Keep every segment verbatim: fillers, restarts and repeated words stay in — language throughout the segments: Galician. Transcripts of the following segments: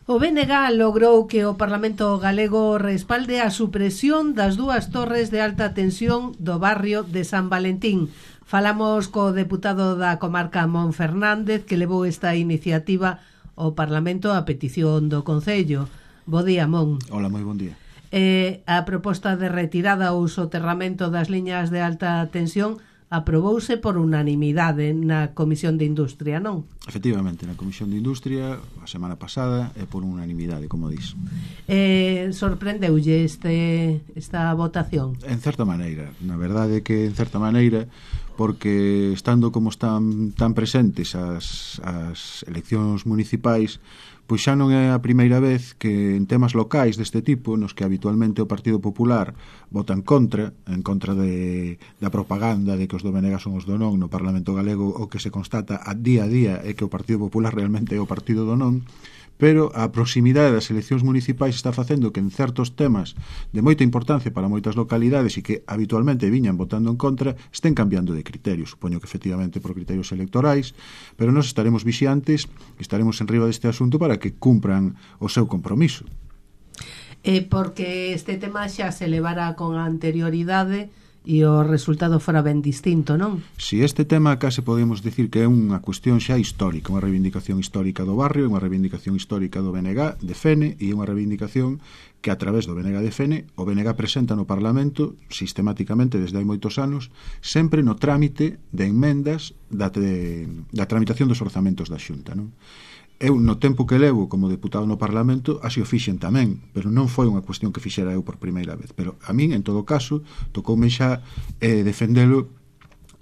O B N G logrou que o Parlamento galego respalde a supresión das dúas torres de alta tensión do barrio de San Valentín. Falamos co deputado da comarca Mon Fernández, que levou esta iniciativa ao Parlamento a petición do Concello. Bo día, Mon. Hola, moi bon día. Eh, a proposta de retirada ou soterramento das liñas de alta tensión aprobouse por unanimidade na Comisión de Industria, non? Efectivamente, na Comisión de Industria a semana pasada é por unanimidade, como dis. Eh, sorprendeulle este, esta votación? En certa maneira, na verdade que en certa maneira, porque estando como están tan presentes as, as eleccións municipais, pois xa non é a primeira vez que en temas locais deste tipo, nos que habitualmente o Partido Popular vota en contra, en contra de, da propaganda de que os do B N G son os do non no Parlamento Galego, o que se constata a día a día é que o Partido Popular realmente é o partido do non, pero a proximidade das eleccións municipais está facendo que en certos temas de moita importancia para moitas localidades e que habitualmente viñan votando en contra estén cambiando de criterio. Supoño que efectivamente por criterios electorais, pero nós estaremos vixiantes, estaremos en riba deste asunto para que cumpran o seu compromiso. Eh, porque este tema xa se levara con anterioridade e o resultado fora ben distinto, non? Si este tema case podemos decir que é unha cuestión xa histórica, unha reivindicación histórica do barrio, unha reivindicación histórica do B N G de Fene e unha reivindicación que a través do B N G de Fene o B N G presenta no Parlamento sistemáticamente desde hai moitos anos, sempre no trámite de enmendas da, de, da tramitación dos orzamentos da Xunta, non? Eu, no tempo que levo como deputado no Parlamento, así o fixen tamén, pero non foi unha cuestión que fixera eu por primeira vez. Pero a min, en todo caso, tocoume xa eh, defendelo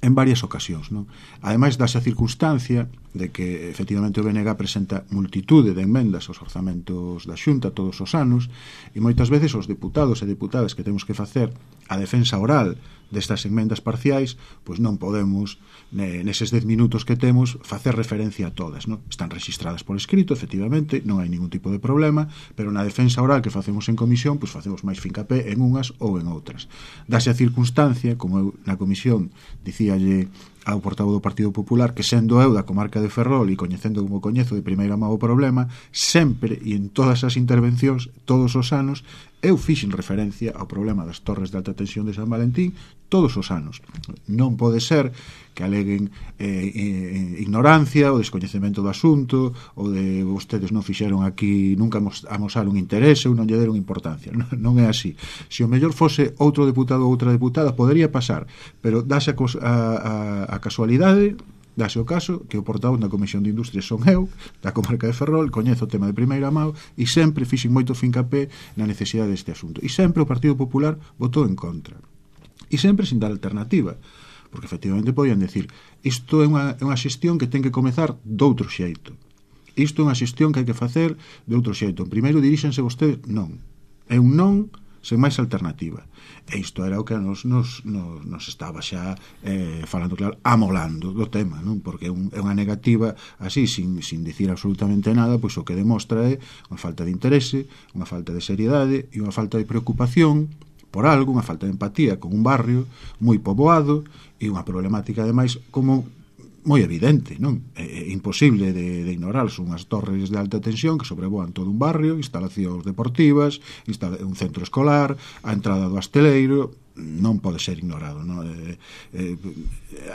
en varias ocasións, non? Ademais, dase a circunstancia de que, efectivamente, o B N G presenta multitude de enmendas aos orzamentos da Xunta todos os anos, e moitas veces os deputados e deputadas que temos que facer a defensa oral destas enmendas parciais, pois non podemos, neses dez minutos que temos, facer referencia a todas, non? Están registradas por escrito, efectivamente, non hai ningún tipo de problema, pero na defensa oral que facemos en comisión, pois facemos máis fincapé en unhas ou en outras. Dase a circunstancia, como eu na comisión dicíalle ao portavoz do Partido Popular, que sendo eu da comarca de Ferrol e coñecendo como coñezo de primeira mão o problema, sempre e en todas as intervencións, todos os anos, eu fixen referencia ao problema das torres de alta tensión de San Valentín todos os anos. Non pode ser que aleguen eh, eh, ignorancia ou descoñecemento do asunto ou de vostedes non fixeron aquí, nunca amosaron interese ou non lle deron importancia. Non, non é así. Se o mellor fose outro deputado ou outra deputada, podería pasar, pero dase a, a, a casualidade, dase o caso que o portavoz na Comisión de Industria son eu, da comarca de Ferrol, coñezo o tema de primeira mão e sempre fixen moito fincapé na necesidade deste asunto. E sempre o Partido Popular votou en contra. E sempre sin dar alternativa. Porque efectivamente podían decir isto é unha, é unha xestión que ten que comezar doutro xeito. Isto é unha xestión que hai que facer de outro xeito. Primeiro diríxense vostedes, non. É un non sen máis alternativa. E isto era o que nos, nos, nos, nos estaba xa eh, falando claro, amolando do tema, non? Porque é, un, é unha negativa así, sin, sin dicir absolutamente nada, pois o que demostra é unha falta de interese, unha falta de seriedade e unha falta de preocupación por algo, unha falta de empatía con un barrio moi poboado e unha problemática ademais como moi evidente, non? É, é imposible de, de ignorar, son as torres de alta tensión que sobrevoan todo un barrio, instalacións deportivas, instala, un centro escolar, a entrada do hosteleiro, non pode ser ignorado, non? Eh, eh,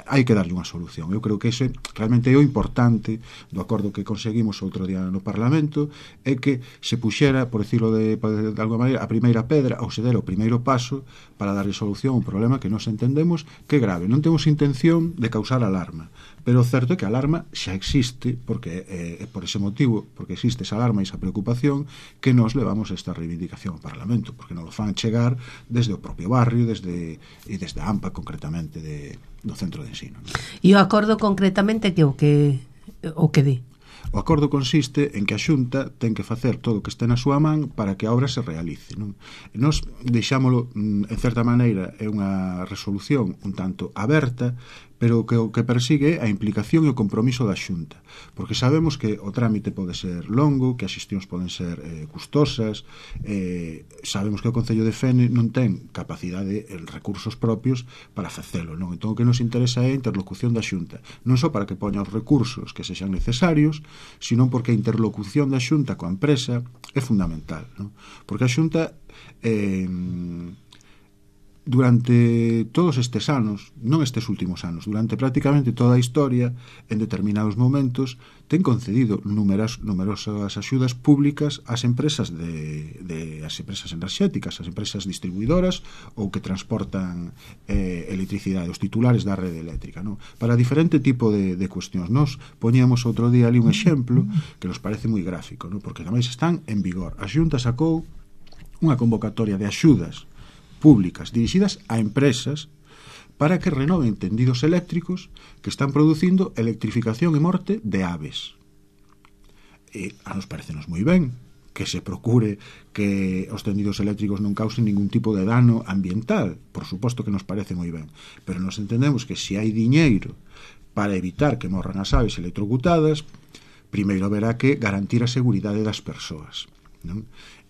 hai que darlle unha solución. Eu creo que ese realmente é o importante do acordo que conseguimos outro día no Parlamento, é que se puxera, por decirlo de, de alguma maneira, a primeira pedra ou se dera o primeiro paso para darlle solución a un problema que nos entendemos que é grave. Non temos intención de causar alarma, pero o certo é que a alarma xa existe, porque é, é por ese motivo, porque existe esa alarma e esa preocupación, que nos levamos esta reivindicación ao Parlamento, porque nos lo fan chegar desde o propio barrio, desde e desde a AMPA concretamente de, do centro de ensino. E o acordo concretamente que o que o que di? O acordo consiste en que a Xunta ten que facer todo o que este na súa man para que a obra se realice, non? E nós deixámolo, en certa maneira, é unha resolución un tanto aberta, pero que o que persigue é a implicación e o compromiso da Xunta, porque sabemos que o trámite pode ser longo, que as xestións poden ser eh, custosas, eh, sabemos que o Concello de Fene non ten capacidade e recursos propios para facelo, non? Entón o que nos interesa é a interlocución da Xunta, non só para que poña os recursos que sexan necesarios, sino porque a interlocución da Xunta coa empresa é fundamental, non? Porque a Xunta eh, durante todos estes anos, non estes últimos anos, durante prácticamente toda a historia, en determinados momentos, ten concedido numeras, numerosas axudas públicas ás empresas de, de as empresas enerxéticas, as empresas distribuidoras ou que transportan eh, electricidade, os titulares da rede eléctrica, non? Para diferente tipo de, de cuestións. Nos poñíamos outro día ali un exemplo que nos parece moi gráfico, non? Porque tamén están en vigor. A Xunta sacou unha convocatoria de axudas públicas dirixidas a empresas para que renoven tendidos eléctricos que están producindo electrificación e morte de aves. E a nos parecenos moi ben que se procure que os tendidos eléctricos non causen ningún tipo de dano ambiental, por suposto que nos parece moi ben, pero nos entendemos que se hai diñeiro para evitar que morran as aves electrocutadas, primeiro haberá que garantir a seguridade das persoas, non?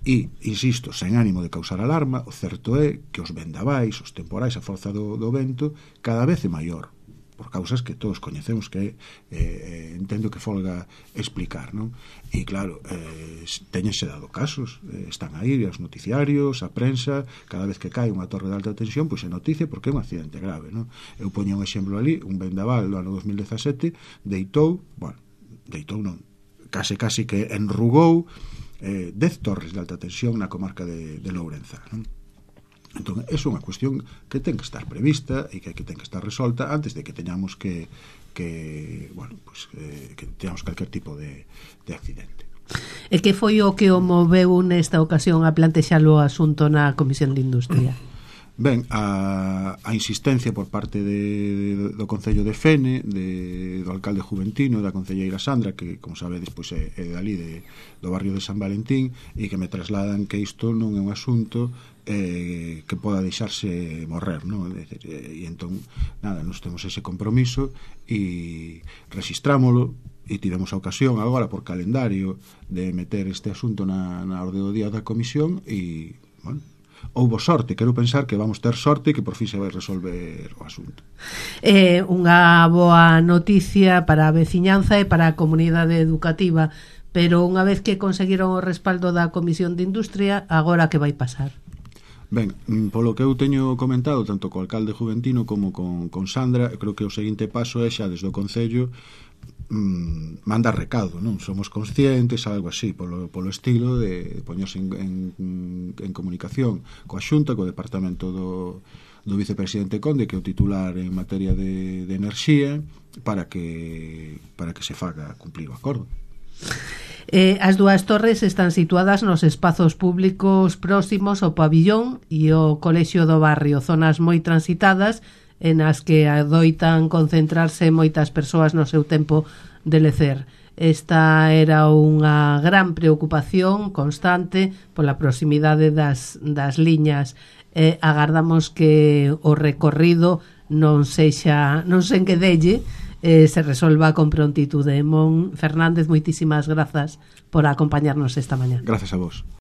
E, insisto, sen ánimo de causar alarma, o certo é que os vendavais, os temporais, a forza do, do vento cada vez é maior, por causas que todos coñecemos, que eh, entendo que folga explicar, non? E claro, eh, teñense dado casos, eh, están aí os noticiarios, a prensa, cada vez que cae unha torre de alta tensión, pois se noticia porque é un accidente grave, non? Eu poño un exemplo ali, un vendaval do ano dos mil dezasete deitou, bueno, deitou non, case case que enrugou eh, dez torres de alta tensión na comarca de, de Lourenza, non? Entón, é unha cuestión que ten que estar prevista e que, que ten que estar resolta antes de que teñamos que, que bueno, pues, eh, que teñamos calquer tipo de, de accidente. E que foi o que o moveu nesta ocasión a plantexalo o asunto na Comisión de Industria? Ben, a, a insistencia por parte de, de, do Concello de Fene, de, do alcalde Juventino, da concelleira Sandra, que, como sabedes, pois é, é dali de, do barrio de San Valentín, e que me trasladan que isto non é un asunto eh, que poda deixarse morrer, non? E, e entón, nada, nos temos ese compromiso e rexistrámolo, e tivemos a ocasión agora por calendario de meter este asunto na, na orde do día da comisión e, bueno, houbo sorte, quero pensar que vamos ter sorte e que por fin se vai resolver o asunto. É unha boa noticia para a veciñanza e para a comunidade educativa, pero unha vez que conseguiron o respaldo da Comisión de Industria, agora que vai pasar? Ben, polo que eu teño comentado tanto co alcalde Juventino como con, con Sandra, creo que o seguinte paso é xa desde o Concello mm, mandar recado, non? Somos conscientes, algo así, polo, polo estilo de poñerse en, en, en comunicación coa Xunta, co departamento do, do vicepresidente Conde, que é o titular en materia de, de enerxía, para que para que se faga cumplir o acordo. Eh, as dúas torres están situadas nos espazos públicos próximos ao pabillón e ao colexio do barrio, zonas moi transitadas en as que adoitan concentrarse moitas persoas no seu tempo de lecer. Esta era unha gran preocupación constante pola proximidade das, das liñas. Eh, agardamos que o recorrido non sexa, non se enquedelle, eh, se resolva con prontitude. Mon Fernández, moitísimas grazas por acompañarnos esta mañá. Gracias a vos.